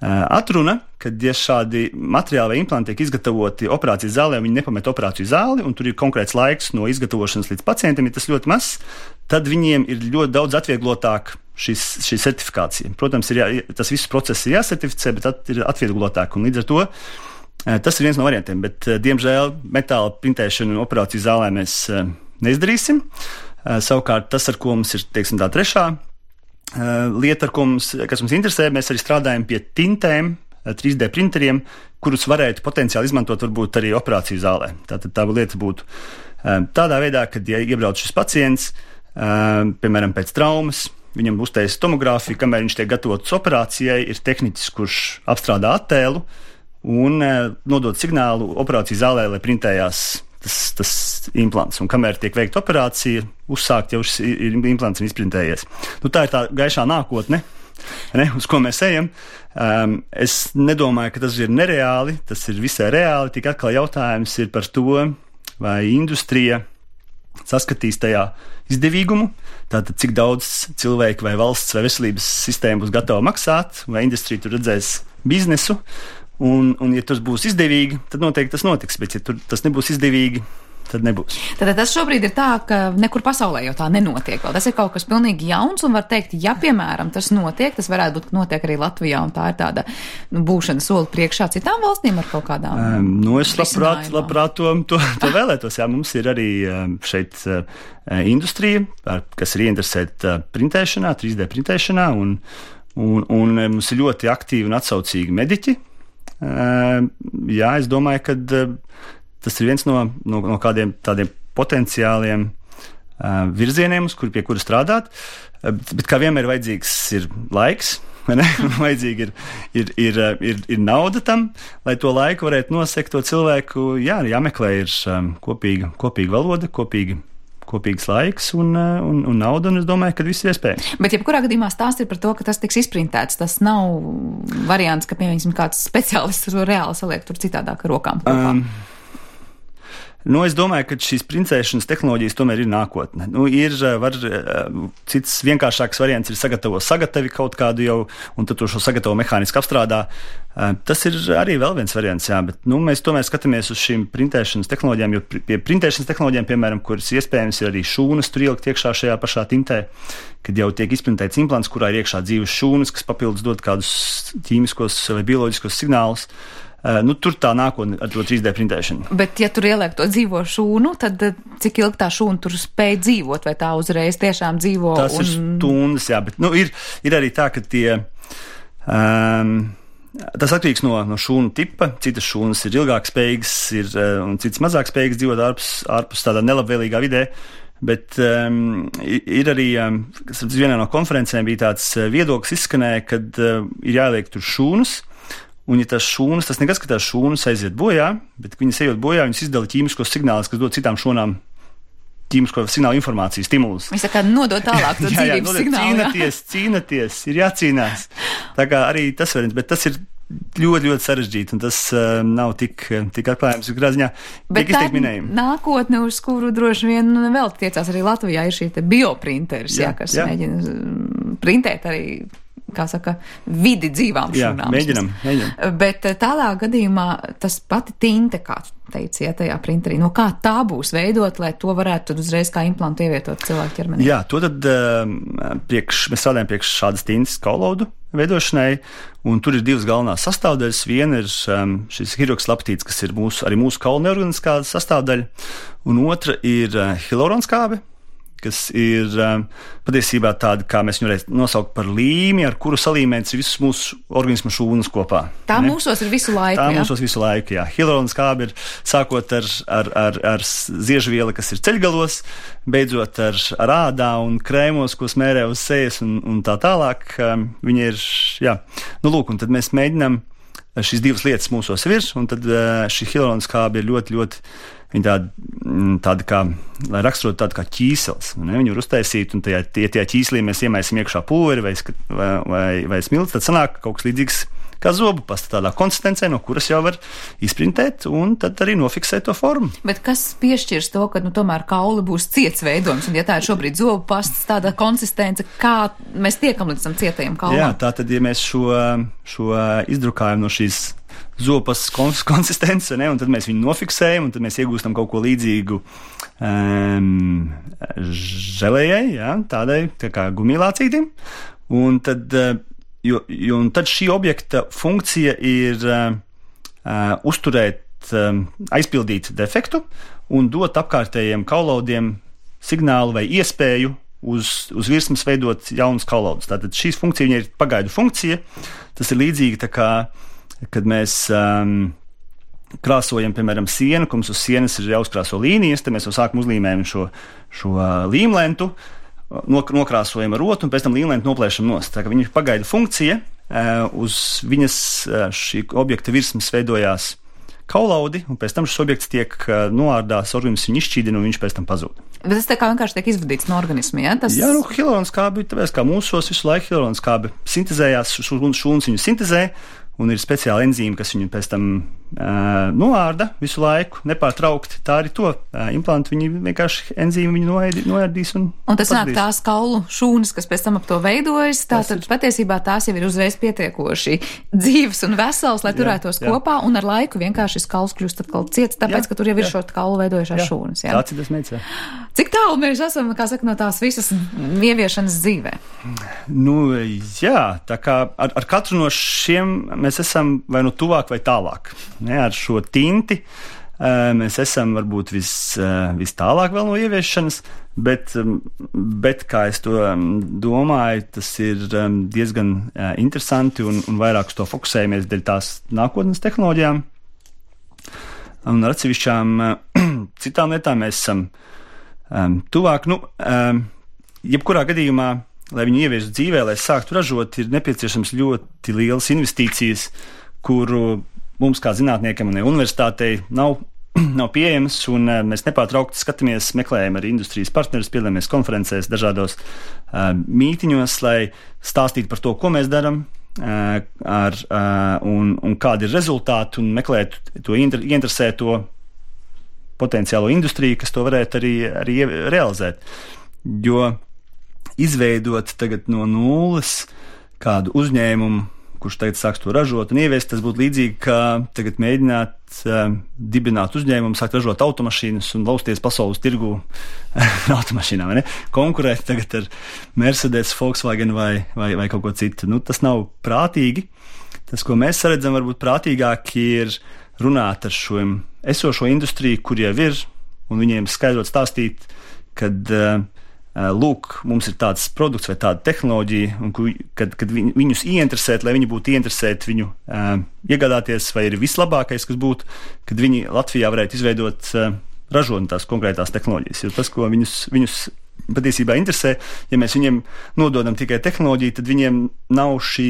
atruna, kad ja šādi materiāli vai implanti tiek izgatavoti operācijas zālē, viņi nepamet operāciju zāli, un tur ir konkrēts laiks no izgatavošanas līdz pacientam, ja tas ļoti mazs, tad viņiem ir ļoti daudz atvieglotāk šis, šī certifikācija. Protams, ir jā, tas viss process ir jāsertificē, bet at, ir atvieglotāk, un līdz ar to tas ir viens no variantiem, bet, diemžēl, metāla printēšanu un operāciju zālē mēs neizdarīsim. Savukārt, tas, ar ko mums ir, teiksim, tā trešā lieta, ar ko mums, kas mums interesē, mēs arī strādājam pie tintēm, trīs D printeriem, kurus varētu potenciāli izmantot varbūt arī operāciju zālē. Tātad tā lieta būtu tādā veidā, kad, ja iebrauc šis pacients, piemēram, pēc traumas, viņam uztais tomogrāfiju, kamēr viņš tiek gatavots operācijai, ir tehniķis, kurš apstrādā attēlu un nodod signālu operāciju zālē, lai printējās tas, tas implants. Un kamēr tiek veikta operācija, uzsākt jau šis implants ir izprintējies. Nu, tā ir tā gaišā nākotne, ne, uz ko mēs ejam. Um, es nedomāju, ka tas ir nereāli, tas ir visai reāli, tik atkal jautājums ir par to, vai industrija saskatīs tajā izdevīgumu, tātad cik daudz cilvēku vai valsts vai veselības sistēma būs gatava maksāt, vai industrija tur redzēs biznesu, un, un ja tas būs izdevīgi, tad noteikti tas notiks, bet ja tur tas nebūs izdevīgi, tad nebūs. Tad tas šobrīd ir tā, ka nekur pasaulē jau tā nenotiek vēl. Tas ir kaut kas pilnīgi jauns, un var teikt, ja, piemēram, tas notiek, tas varētu būt, ka notiek arī Latvijā, un tā ir tāda nu, būšana soli priekšā citām valstīm ar kaut kādām um, Nu, es labprāt, labprāt to, to, to vēlētos. Jā, mums ir arī šeit uh, industrija, kas ir ieinteresēta printēšanā, trīs D printēšanā, un, un, un mums ir ļoti aktīvi un atsaucīgi mediķi. Uh, jā, es domāju, ka uh, tas ir viens no, no, no kādiem tādiem potenciāliem uh, virzieniem, uz kur, pie kura strādāt, uh, bet, bet kā vienmēr vajadzīgs ir laiks, vai ne? Vajadzīgi ir, ir, ir, ir, ir nauda tam, lai to laiku varētu nosekt to cilvēku. Jā, jāmeklē ir um, kopīga, kopīga valoda, kopīga. Kopīgs laiks un, un, un nauda, un es domāju, ka viss ir iespējams. Bet jebkurā gadījumā stāsts ir par to, ka tas tiks izprintēts. Tas nav variants, ka, piemēram, kāds speciālists to reāli saliek tur citādāk ar rokām kopā. Um. Nu, es domāju, ka šīs princēšanas tehnoloģijas tomēr ir nākotne. Nu, ir var, cits vienkāršāks variants ir sagatavo sagatavi kaut kādu jau, un tad to šo sagatavo mehāniski apstrādā. Tas ir arī vēl viens variants, jā, bet nu, mēs tomēr skatāmies uz šīm printēšanas tehnoloģijām, jo pie printēšanas tehnoloģijām, piemēram, kuras iespējams ir arī šūnas tur ielikt iekšā šajā pašā tintē, kad jau tiek izprintēts implants, kurā ir iekšā dzīves šūnas, kas papildus dod kādus ķīmiskos vai bioloģiskos signālus. Uh, nu, tur tā nākotne ar to trīs D printēšanu. Bet, ja tur ieliek to dzīvo šūnu, tad cik ilgi tā šūna tur spēj dzīvot, vai tā uzreiz tiešām dzīvo? Tas un... ir stundas, jā, bet nu, ir, ir arī tā, ka tie. Um, tas atkarīgs no, no šūnu tipa. Citas šūnas ir ilgāk spējīgas, ir, un citas mazāk spējīgas dzīvot ārpus, ārpus tādā nelabvēlīgā vidē. Bet um, ir arī, um, kas vienā no konferencēm bija tāds viedoklis izskanēja, kad uh, ir jāliek tur šūnas. Un, ja tās šūnas, tas nekas, ka tās šūnas aiziet bojā, bet viņas ejot bojā, viņas izdala ķīmiskos signālus, kas dod citām šūnām ķīmisko signālu informāciju, stimulus. Viņš tā kā nodod tālāk to jā, jā, dzīvības signālu. Cīnaties, cīnaties, ir jācīnās. Tā kā arī tas variants, bet tas ir ļoti, ļoti sarežģīti, un tas uh, nav tik, tik atklājums, kā ziņā tiek izteikt minējumi. Nākotne, uz kuru droši vien vēl tiecās arī Latvijā, ir šī te bioprinteris, jā, jā, kas jā. mēģina printēt arī, kā saka, vidi dzīvām šūnām. Jā, mēģinam, mēģinam. Bet tādā gadījumā tas pati tinte, kā teici, ja, tajā printerī, no kā tā būs veidot, lai to varētu tad uzreiz kā implantu ievietot cilvēku ķermenī? Jā, to tad priekš, mēs strādājam priekš šādas tintes kaulodu veidošanai, un tur ir divas galvenās sastāvdaļas. Viena ir šis hirokslaptīts, kas ir mūsu, arī mūsu kaula neorganiskā sastāvdaļa, un otra ir hialuronskābe, kas ir um, patiesībā tāda, kā mēs viņu varētu nosaukt par līmi, ar kuru salīmēts visus mūsu organismu šūnas kopā. Tā ne? Mūsos ir visu laiku, Tā jā? mūsos visu laiku, jā. Hialuronskābe ir sākot ar, ar, ar, ar ziežvielu, kas ir ceļgalos, beidzot ar, ar ādā un krēmos, ko smērē uz sejas un, un tā tālāk. Um, viņi ir, jā. Nu, lūk, un tad mēs mēģinām šīs divas lietas mūsos virs, un tad uh, šī hialuronskābe ir ļoti, ļoti Viņa tāda, tāda kā, lai raksturotu tādu kā ķīsels. Ne? Viņu var uztaisīt, un tajā, ja tajā ķīslī mēs iemaisim iekšā pulveri vai, vai, vai, vai smilts, tad sanāk kaut kas līdzīgs kā zobu pasta, tādā konsistencē, no kuras jau var izprintēt un tad arī nofiksēt to formu. Bet kas piešķirs to, ka nu, tomēr kauli būs ciets veidojums, un ja tā ir šobrīd zobu pastas tāda konsistence, kā mēs tiekam līdz tam cietajam kaulam? Jā, tā tad, ja mēs šo, šo izdrukājam no šīs zopas konsistences, ne, un tad mēs viņu nofiksējam, un tad mēs iegūstam kaut ko līdzīgu um, želējai, jā, tādai tā kā gumijlācītim, un tad, jo, jo, un tad šī objekta funkcija ir uh, uh, uzturēt, um, aizpildīt defektu un dot apkārtējiem kaulaudiem signālu vai iespēju uz, uz virsmas veidot jaunus kaulaudus. Tātad šīs funkcija viņai ir pagaidu funkcija, tas ir līdzīgi tā kā kad mēs um, krāsojam, piemēram, sienu, ka mums uz sienas ir jāuzkrāso līnijas, tad mēs jau sākam uzlīmējam šo, šo līmlentu, nok- nokrāsojam ar rotu un pēc tam līmlentu noplēšam nost. Tā kā viņa ir pagaida funkcija, uh, uz viņas uh, šī objekta virsmas veidojās kaulaudi, un pēc tam šis objekts tiek uh, noārdās, organisms viņu izšķīdina un viņš pēc tam pazūd. Bet tas tā kā vienkārši tiek izvadīts no organisma, ja? Tas... Jā, nu, hialuronskābe, tāpēc kā mūsos visu laiku hialuronskābe sintezējās, šūnas viņu sintezē, un ir speciāli enzīmi, kas viņu pēc tam uh, noārda visu laiku, nepārtraukti. Tā arī to uh, implantu, viņi vienkārši enzīmi viņu noēdi, noērdīs. Un, un tas nāk tās kaulu šūnas, kas pēc tam ap to veidojas, tātad ir... patiesībā tās jau ir uzreiz pietiekoši dzīves un vesels, lai turētos jā, jā. kopā, un ar laiku vienkārši šis kauls kļūst atkal ciets, tāpēc, jā, ka tur jau ir šo kaulu veidojušās šūnas. Jā. Tāds ir tas meids, jā. Cik tālu mēs esam, kā saka, no tās visas ieviešanas dzīvē? Nu, jā, tā kā ar, ar katru no šiem mēs esam vai nu tuvāk vai tālāk. Ne, ar šo tinti mēs esam varbūt vis, vis tālāk vēl no ieviešanas, bet, bet kā es to domāju, tas ir diezgan interesanti un, un vairāk uz to fokusējamies dēļ tās nākotnes tehnoloģijām. Un ar atsevišķām citām lietām mēs esam um, tuvāk. Nu, um, jebkurā gadījumā, lai viņu ieviestu dzīvē, lai sāktu ražot, ir nepieciešams ļoti lielas investīcijas, kuru mums kā zinātniekiem un universitātei nav, nav pieejamas, un uh, mēs nepārtraukti skatāmies, meklējam arī industrijas partnerus, piedalāmies konferencēs, dažādos uh, mītiņos, lai stāstītu par to, ko mēs darām, uh, ar, uh, un, un kādi ir rezultāti, un meklēt to inter, ieinteresēto potenciālo industriju, kas to varētu arī, arī realizēt. Jo izveidot tagad no nulles kādu uzņēmumu, kurš tagad sāks to ražot un ieviest, tas būtu līdzīgi, kā tagad mēģināt uh, dibināt uzņēmumu, sākt ražot automašīnas un lausties pasaules tirgu ar automašīnām, vai ne? Konkurēt tagad ar Mercedes, Volkswagen vai, vai, vai kaut ko citu. Nu, tas nav prātīgi. Tas, ko mēs saredzam, varbūt prātīgāk ir runāt ar šo esošo industriju, kur jau ir, un viņiem skaidrot stāstīt, kad uh, lūk, mums ir tāds produkts vai tāda tehnoloģija, un kad, kad viņus ieinteresēt, lai viņi būtu ieinteresēti viņu uh, iegādāties, vai ir vislabākais, kas būtu, kad viņi Latvijā varētu izveidot uh, ražot tās konkrētās tehnoloģijas. Jo tas, ko viņus, viņus patiesībā interesē, ja mēs viņiem nododam tikai tehnoloģiju, tad viņiem nav šī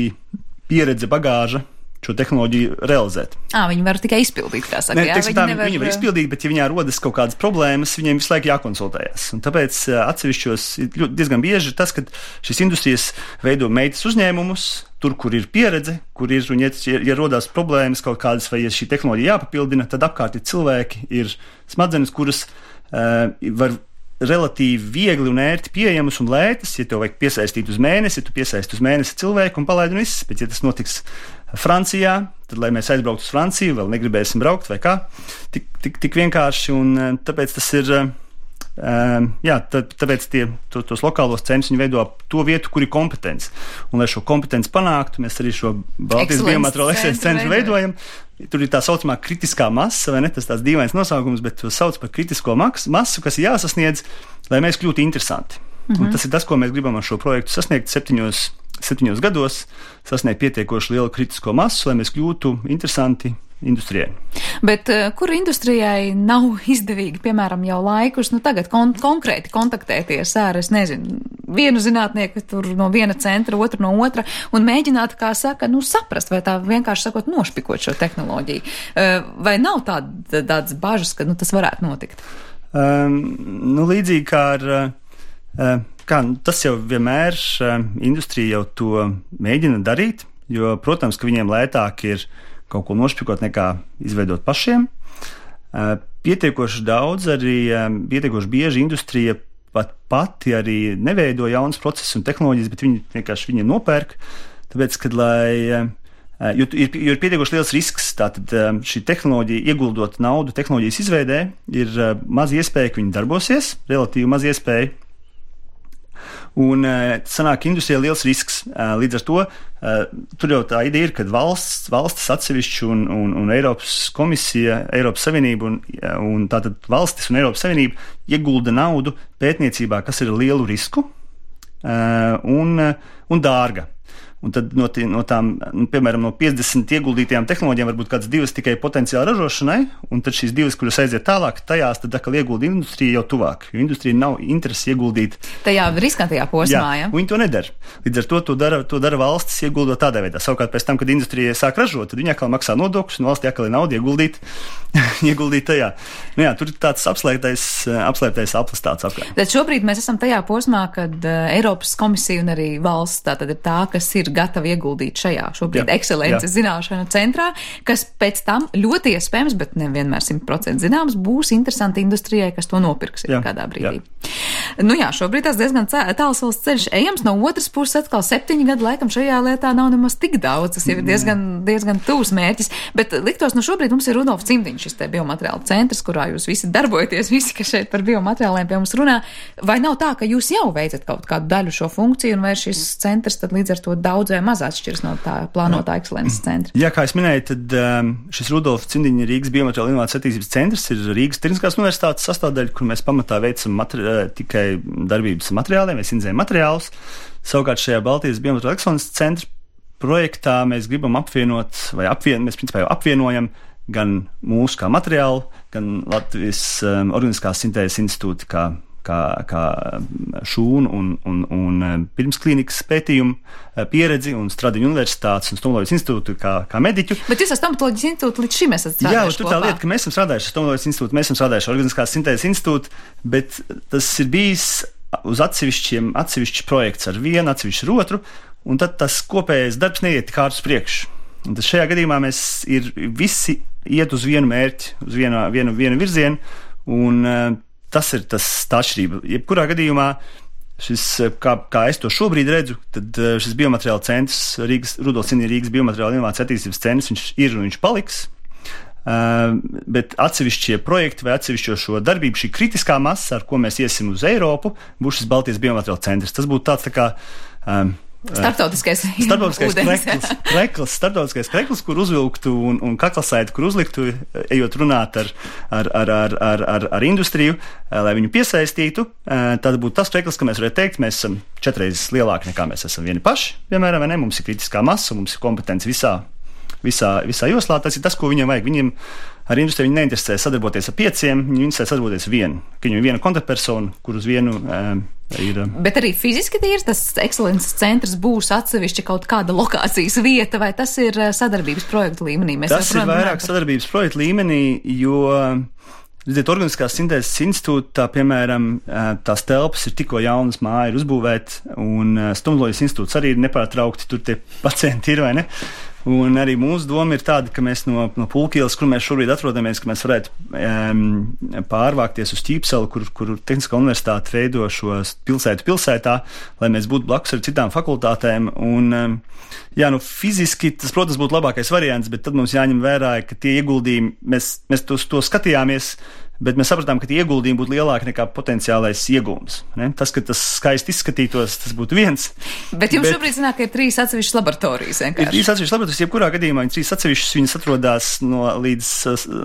pieredze, bagāža šo tehnoloģiju realizēt. Ā, viņi var tikai izpildīt, kā saka. Ne, jā, teiksim, viņi, tā, nevar... viņi var izpildīt, bet ja viņā rodas kaut kādas problēmas, viņiem visu laiku jākonsultējas. Un tāpēc atsevišķos diezgan bieži ir tas, ka šīs industrijas veido meitas uzņēmumus, tur, kur ir pieredze, kur ir, un ja, ja rodās problēmas kaut kādas, vai ja šī tehnoloģija jāpapildina, tad apkārt ir cilvēki, ir smadzenes, kuras uh, var relatīvi viegli un ērti pieejamas un lētas. Ja tev vajag piesaistīt uz mēnesi, tu piesaisti uz mēnesi cilvēku un palaidi un viss. Bet ja tas notiks Francijā, tad, lai mēs aizbrauktu uz Franciju, vēl negribēsim braukt vai kā, tik, tik, tik vienkārši, un tāpēc tas ir, um, jā, tā, tāpēc tie, to, tos lokālos centrus viņi veido to vietu, kur ir kompetence. Un, lai šo kompetenci panāktu, mēs arī šo Baltijas biomateriālu ekscelences centru veidojam. Tur ir tā saucamā kritiskā masa, vai ne, tas tāds dīvains nosaukums, bet to sauc par kritisko masu, kas ir jāsasniedz, lai mēs kļūtu interesanti. Mm-hmm. Un tas ir tas, ko mēs gribam ar šo projektu sasniegt septiņos, septiņos gados, sasniegt pietiekoši lielu kritisko masu, lai mēs kļūtu interesanti industrijai. Bet uh, kur industrijai nav izdevīgi, piemēram, jau laikus, nu tagad kon- konkrēti kontaktēties ar, es nezinu, vienu zinātnieku tur no viena centra, otru no otra, un mēģināt, kā saka, nu saprast, vai tā vienkārši sakot nošpikot šo tehnoloģiju. Uh, vai nav tāda, tādas bažas, ka nu, tas varētu notikt? Um, nu, līdzīgi kā ar, uh, kā, tas jau vienmēr uh, industrija jau to mēģina darīt, jo, protams, ka viņiem lētāk ir kaut ko nošpikot nekā izveidot pašiem. Pietiekoši daudz arī, pietiekoši bieži industrija pat pati arī neveido jaunas procesus un tehnoloģijas, bet viņi vienkārši viņiem nopērk, tāpēc, kad lai, jo ir, jo ir pietiekoši liels risks, tātad šī tehnoloģija, ieguldot naudu tehnoloģijas izveidē, ir maz iespēja, ka viņi darbosies, relatīvi maz iespēja. Un sanāk industrijai liels risks. Līdz ar to tur jau tā ideja ir, ka valsts, valstis atsevišķi un, un, un Eiropas komisija, Eiropas Savienība un, un tātad valstis un Eiropas Savienība iegulda naudu pētniecībā, kas ir ar lielu risku un, un dārga. Un tad no, tī, no tām, nu, piemēram, no piecdesmit ieguldītajām tehnoloģijām varbūt kādas divas tikai potenciāli ražošanai, un tad šīs divas, kuras aiziet tālāk, tajās tad atkal iegulda industrija jau tuvāk, jo industrija nav interesi ieguldīt. Tajā riskantajā posmā, jā. Ja? Viņi to nedara. Līdz ar to to dara, to dara valstis ieguldot tādā veidā. Savukārt pēc tam, kad industrija sāk ražot, tad viņi atkal maksā nodokļus, un valstī atkal ir nauda ieguldīt, ieguldīt tajā. Nu jā, tur ir tāds apslēptais, apslēptais aplis tāds apkārt. Bet šobrīd mēs esam tajā posmā, kad uh, Eiropas komisija un arī valsts tātad ir tā, kas ir gatavi ieguldīt šajā šobrīd jā, ekscelences jā. Zināšanu centrā, kas pēc tam ļoti iespējams, bet nevienmēr simt procenti zināms, būs interesanti industrijai, kas to nopirks jā, kādā brīdī. Jā. Nu jā, šobrīd tas diezgan tāls ceļš ejams, no otras puses atkal septiņi gadi laikam šajā lietā nav nemaz tik daudz, tas ir diezgan, diezgan tūs mērķis, bet liktos, no šobrīd mums ir Rudolf Cimdiņš, šis te biomateriālu centrs, kurā jūs visi darbojaties, visi, kas šeit par biomateriāliem pie mums runā, vai nav tā, ka jūs jau veicat kaut kādu daļu šo funkciju, un vai šis centrs tad līdz ar to daudz vai maz atšķiras no tā plānotā ekscelences centra? Jā, kā es minēju, tad um, šis Rudolf Cimdiņa Rīgas biomateriālu inovācijas attīstības centrs ir Rīgas Tehniskās universitātes sastāvdaļa, kur mēs pamatā veicam materi- tikai darbības materiāliem, mēs inzējam materiālus. Savukārt šajā Baltijas biomateriālu ekscelences centra projektā mēs gribam apvienot, vai apvien, mēs principā jau apvienojam gan mūsu kā materiālu, gan Latvijas um, Organiskās sintēzes institūti kā kā, kā šūnu un, un, un pirmsklīnikas pētījumu pieredzi un Stradiņu universitātes un Stomatoloģijas institūtu kā, kā mediķu. Bet jūs ar Stomatoloģijas institūtu līdz šim esat strādājuši? Jā, tur tā lieta, ka mēs esam strādājuši ar Stomatoloģijas institūtu, mēs esam strādājuši ar Organiskās sintēzes institūtu, bet tas ir bijis uz atsevišķiem, atsevišķi projekts ar vienu, atsevišķi ar otru, un tad tas kopējais darbs neiet tik ātri uz priekšu. Un tas šajā gadījumā mēs ir visi iet uz vienu mērķi, uz vienu, vienu, vienu virzienu, un uh, tas ir tas tā atšķirība. Jebkurā gadījumā šis, kā, kā es to šobrīd redzu, tad uh, šis biomateriāla centrs, Rīgas, Rudolfs Cīnī Rīgas biomateriāla inovāciju attīstības centrs, viņš ir un viņš paliks. Uh, bet atsevišķie projekti vai atsevišķo šo darbību, šī kritiskā masa, ar ko mēs iesim uz Eiropu, būs šis Baltijas biomateriāla centrs. Tas būtu tāds tā kā um, Starptautiskais, starptautiskais krekls, krekls, starptautiskais krekls, kur uzvilktu un, un kaklasaitu, kur uzliktu, ejot runāt ar, ar, ar, ar, ar, ar, ar industriju, lai viņu piesaistītu. Tad būtu tas krekls, ka mēs varētu teikt, mēs esam četreiz lielāki nekā mēs esam vieni paši, piemēram, vai ne? Mums ir kritiskā masa, mums ir kompetence visā, visā, visā joslā. Tas ir tas, ko viņiem vajag. Viņiem ar industriju viņi neinteresē sadarboties ar pieciem, viņi interesē sadarboties ar vienu. Ka viņam ir viena kontaktpersona, kur uz vienu um, ir. Bet arī fiziski tīrs tas ekscelences centrs būs atsevišķi kaut kāda lokācijas vieta, vai tas ir sadarbības projekta līmenī? Mēs tas ir vairāk par... sadarbības projekta līmenī, jo, redziet, Organiskās sintēzes institūtā, piemēram, tās telpas ir tikko jaunas, māja ir uzbūvēta, un Stomatoloģijas institūts arī ir nepārtraukti, tur tie pacienti ir, vai ne? Un arī mūsu doma ir tāda, ka mēs no, no Pulkielas, kur mēs šobrīd atrodamies, ka mēs varētu um, pārvākties uz Ķīpseli, kur, kur Tehniskā universitāte veido šo pilsētu pilsētā, lai mēs būtu blakus ar citām fakultātēm. Un, um, jā, nu fiziski tas, protams, būtu labākais variants, bet tad mums jāņem vērā, ka tie ieguldījumi, mēs, mēs to, to skatījāmies, bet mēs sapratām, ka tie ieguldījumi būtu lielāki nekā potenciālais iegūms. Ne? Tas, ka tas skaisti izskatītos, tas būtu viens. Bet jums bet, šobrīd zināk, ka ir trīs atsevišķas laboratorijas. Vienkārši. Ir trīs atsevišķas laboratorijas, jebkurā gadījumā viņi trīs atsevišķas, viņas atrodas no līdz,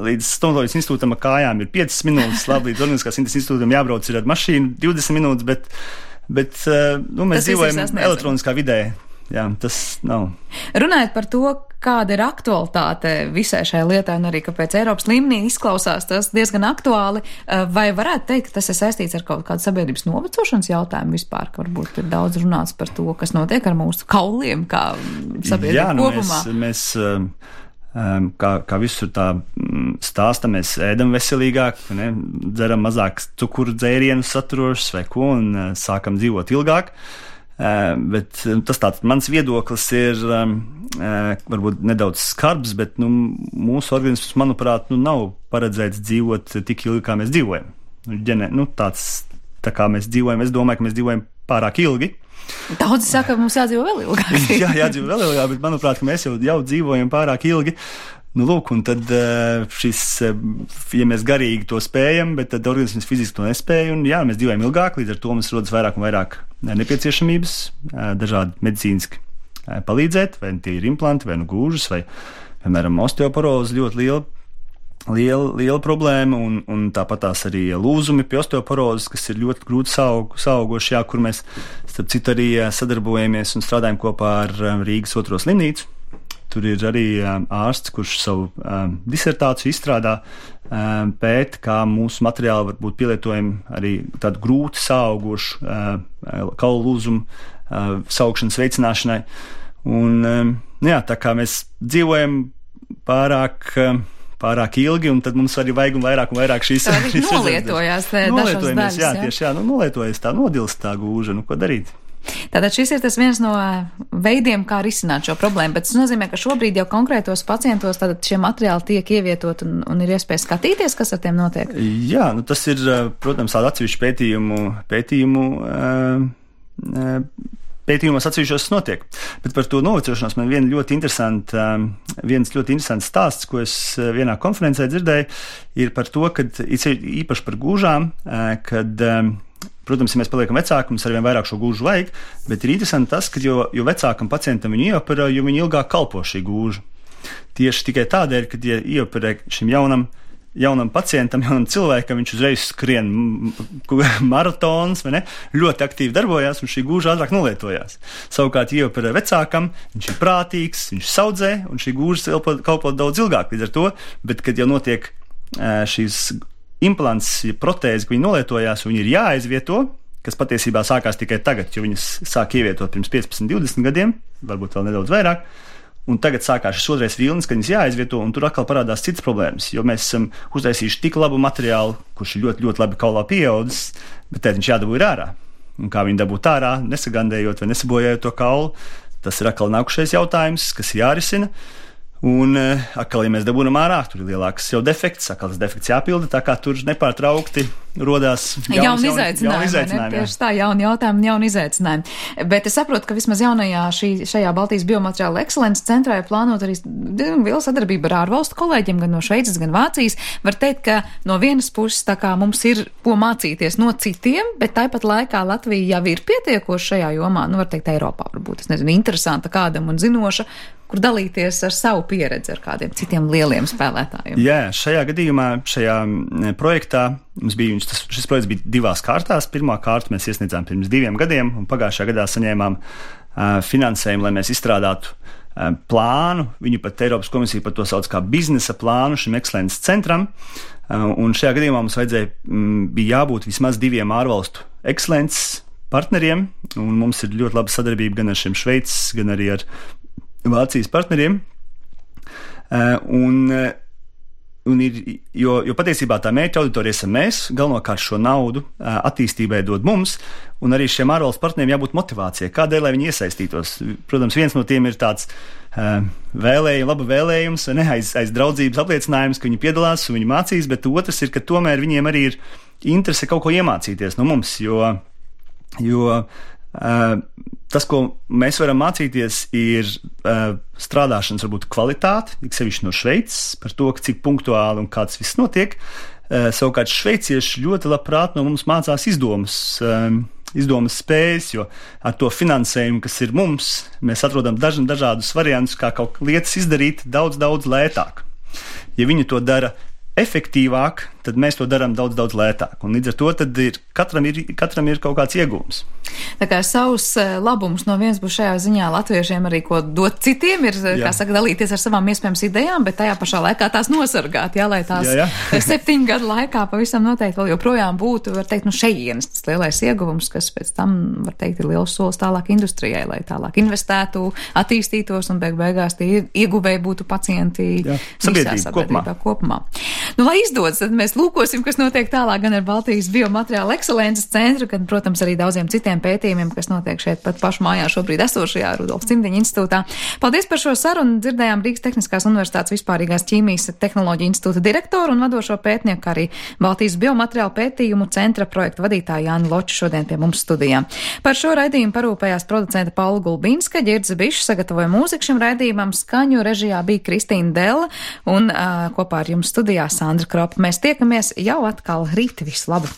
līdz Stomatoloģijas institūtam ar kājām ir piecas minūtes, labi, līdz Organiskās sintēzes institūtam jābrauc ir ar mašīnu divdesmit minūtes, bet, bet nu, mēs tas dzīvojam elektroniskā vidē. Jā, tas nav. Runājot par to, kāda ir aktualitāte visai šai lietai un arī, kāpēc Eiropas līmenī izklausās tas diezgan aktuāli, vai varētu teikt, ka tas ir saistīts ar kaut kādu sabiedrības novecošanas jautājumu vispār, ka varbūt ir daudz runāts par to, kas notiek ar mūsu kauliem, kā sabiedrība Jā, nu kopumā? Mēs, mēs um, kā, kā visur tā stāsta, mēs ēdam veselīgāk, ne? Dzeram mazāk cukuru dzērienus saturošus vai ko un uh, sākam dzīvot ilgāk. Uh, bet tas tāds mans viedoklis ir um, uh, varbūt nedaudz skarbs, bet nu, mūsu organisms, manuprāt, nu, nav paredzēts dzīvot tik ilgi, kā mēs dzīvojam. Ģene, nu, tāds, tā kā mēs dzīvojam, es domāju, ka mēs dzīvojam pārāk ilgi. Daudzi saka, ka mums jādzīvo vēl ilgāk. Jā, jādzīvo vēl ilgāk, bet manuprāt, ka mēs jau, jau dzīvojam pārāk ilgi. Nu, lūk, un tad šis, ja mēs garīgi to spējam, bet tad organisms fiziski to nespēja, un jā, mēs dzīvojam ilgāk, līdz ar to mums rodas vairāk un vairāk nepieciešamības, dažādi medicīniski palīdzēt, vai tie ir implanti, vai nu gūžas, vai, piemēram, osteoporoze ļoti liela, liela, liela problēma, un, un tāpat tās arī lūzumi pie osteoporozes, kas ir ļoti grūti saug, saugoši, jā, kur mēs, starp citu, arī sadarbojamies un strādājam kopā ar Rīgas otro slimnīcu. Tur ir arī um, ārsts, kurš savu um, disertāciju izstrādā, um, pēt, kā mūsu materiāli var būt pielietojami arī tādu grūti saugošu uh, kaulu lūzumu uh, saugšanas veicināšanai. Un, um, jā, tā kā mēs dzīvojam pārāk, um, pārāk ilgi, un tad mums arī vajag un vairāk un vairāk šīs rezerves. Nolietojās dažas daļas. Jā, tieši jā, nu, nolietojas tā, nodilst tā gūža, nu ko darīt? Tātad šis ir tas viens no veidiem, kā risināt šo problēmu, bet tas nozīmē, ka šobrīd jau konkrētos pacientos tātad šie materiāli tiek ievietot un, un ir iespēja skatīties, kas ar tiem notiek? Jā, nu tas ir, protams, tāda atsevišķa pētījumu, pētījumu, pētījumos atsevišķos notiek. Bet par to novecošanos man viena ļoti interesanta, viens ļoti interesants stāsts, ko es vienā konferencē dzirdēju, ir par to, kad īpaši par gūžām, kad protams, ja mēs paliekam vecāki, mums arvien vairāk šo gūžu vajag, bet ir interesanti tas, ka jo, jo vecākam pacientam viņu ieoperē, jo viņi ilgāk kalpo šī gūža. Tieši tikai tādēļ, kad ja ieoperē šim jaunam, jaunam pacientam, jaunam cilvēkam, viņš uzreiz skrien maratons, vai ne, ļoti aktīvi darbojās un šī gūža ātrāk nolietojās. Savukārt, ja ieoperē vecākam, viņš ir prātīgs, viņš saudzē un šī gūža kalpo daudz ilgāk līdz ar to, bet kad jau notiek šīs implants, protēzi, ka viņi nolietojās, un viņi ir jāaizvieto, kas patiesībā sākās tikai tagad, jo viņas sāk ievietot pirms piecpadsmit, divdesmit gadiem, varbūt vēl nedaudz vairāk. Un tagad sākās šis otrais vilnis, kad viņas jāaizvieto, un tur atkal parādās citas problēmas, jo mēs esam uztaisījuši tik labu materiālu, kurš ir ļoti, ļoti labi kaulā pieaudzis, bet tad viņš jādabū ir ārā. Un kā viņi dabūt ārā, nesagandējot vai nesabojājot to kaulu, tas ir atkal nākušais jautājums, kas ir jārisina. Un atkal, ja mēs dabūnam ārā, tur ir lielāks jau defekts, atkal tas defekts jāpilda, tā kā tur nepārtraukti rodās jaunas, jauni izaicinājumi. Jauni izaicinājumi tieši tā, jauni jautājumi, jauni izaicinājumi. Bet es saprotu, ka vismaz jaunajā šī, šajā Baltijas biomateriāla ekscelences centrā ir plānot arī liela sadarbība ar ārvalstu kolēģiem, gan no Šveices, gan Vācijas. Var teikt, ka no vienas puses tā kā mums ir ko mācīties no citiem, bet tāpat laikā Latvija jau ir pietiekoši šajā jomā, nu var teikt Eiropā varbūt, es nezinu, interesanta kādam un zinoša, kur dalīties ar savu pieredzi ar kādiem citiem lieliem spēlētājiem. Jā, šajā gadījumā, šajā projektā mums bija, tas, šis projekts bija divās kārtās. Pirmā kārta mēs iesniedzām pirms diviem gadiem, un pagājušajā gadā saņēmām uh, finansējumu, lai mēs izstrādātu uh, plānu. Viņu pat Eiropas komisija par to sauc kā biznesa plānu šim ekscelences centram. Uh, un šajā gadījumā mums vajadzēja, m, bija jābūt vismaz diviem ārvalstu ekscelences partneriem, un mums ir ļoti laba sadarbība gan ar šiem Šveices, gan arī ar Vācijas partneriem, uh, un, uh, un ir, jo, jo patiesībā tā mērķa auditorija esam mēs, galvenokārt šo naudu uh, attīstībai dod mums, un arī šiem ārvalstu partneriem jābūt motivācijai, kādēļ, lai viņi iesaistītos. Protams, viens no tiem ir tāds uh, vēlējums, laba vēlējums, ne, aiz, aiz draudzības apliecinājums, ka viņi piedalās un viņi mācīs, bet otrs ir, ka tomēr viņiem arī ir interese kaut ko iemācīties no mums, jo, jo uh, tas, ko mēs varam mācīties, ir uh, strādāšanas varbūt kvalitāte, tik sevišķi no Šveices, par to, cik punktuāli un kāds viss notiek. Uh, savukārt šveicieši ļoti labprāt no mums mācās izdomas, um, izdomas spējas, jo ar to finansējumu, kas ir mums, mēs atrodam daž, dažādus variantus, kā kaut lietas izdarīt daudz, daudz lētāk. Ja viņi to dara efektīvāk, tad mēs to darām daudz, daudz lētāk. Un līdz ar to tad ir, katram, ir, katram ir kaut kāds iegūms. Tā kā savus labums no vienas puses šajā ziņā latviešiem arī ko dot citiem, ir, jā, kā saka, dalīties ar savām iespējams idejām, bet tajā pašā laikā tās nosargāt, jā, lai tās jā, jā. septiņu gadu laikā pavisam noteikti vēl joprojām būtu, var teikt, nu šejienes tas lielais ieguvums, kas pēc tam, var teikt, ir liels solis tālāk industrijai, lai tālāk investētu, attīstītos un beig beigās tie ieguvēji būtu pacienti jā, visā sabiedrībā kopumā. kopumā. Nu, lai izdodas, tad mēs lūkosim, kas notiek tālāk gan ar Baltijas biomateriāla ekscelences centru, gan, protams, arī daudziem citiem pētījumiem, kas notiek šeit pat pašu mājā šobrīd esošajā Rudolfa Cimdiņa institūtā. Paldies par šo sarunu. Dzirdējām Rīgas Tehniskās universitātes vispārīgās ķīmijas tehnoloģiju institūta direktoru un vadošo pētnieku, arī Baltijas biomateriāla pētījumu centra projekta vadītāju Jāni Loču šodien pie mums studijā. Par šo raidījumu parūpējās producenta Paula Gulbinska, Ģirds Bišs sagatavoja mūziku šim raidījumam, skaņu režijā bija Kristīna Della un uh, kopā ar jums studijā Sandra Kropa. Mēs tiekamies jau atkal rīt. Visu labu!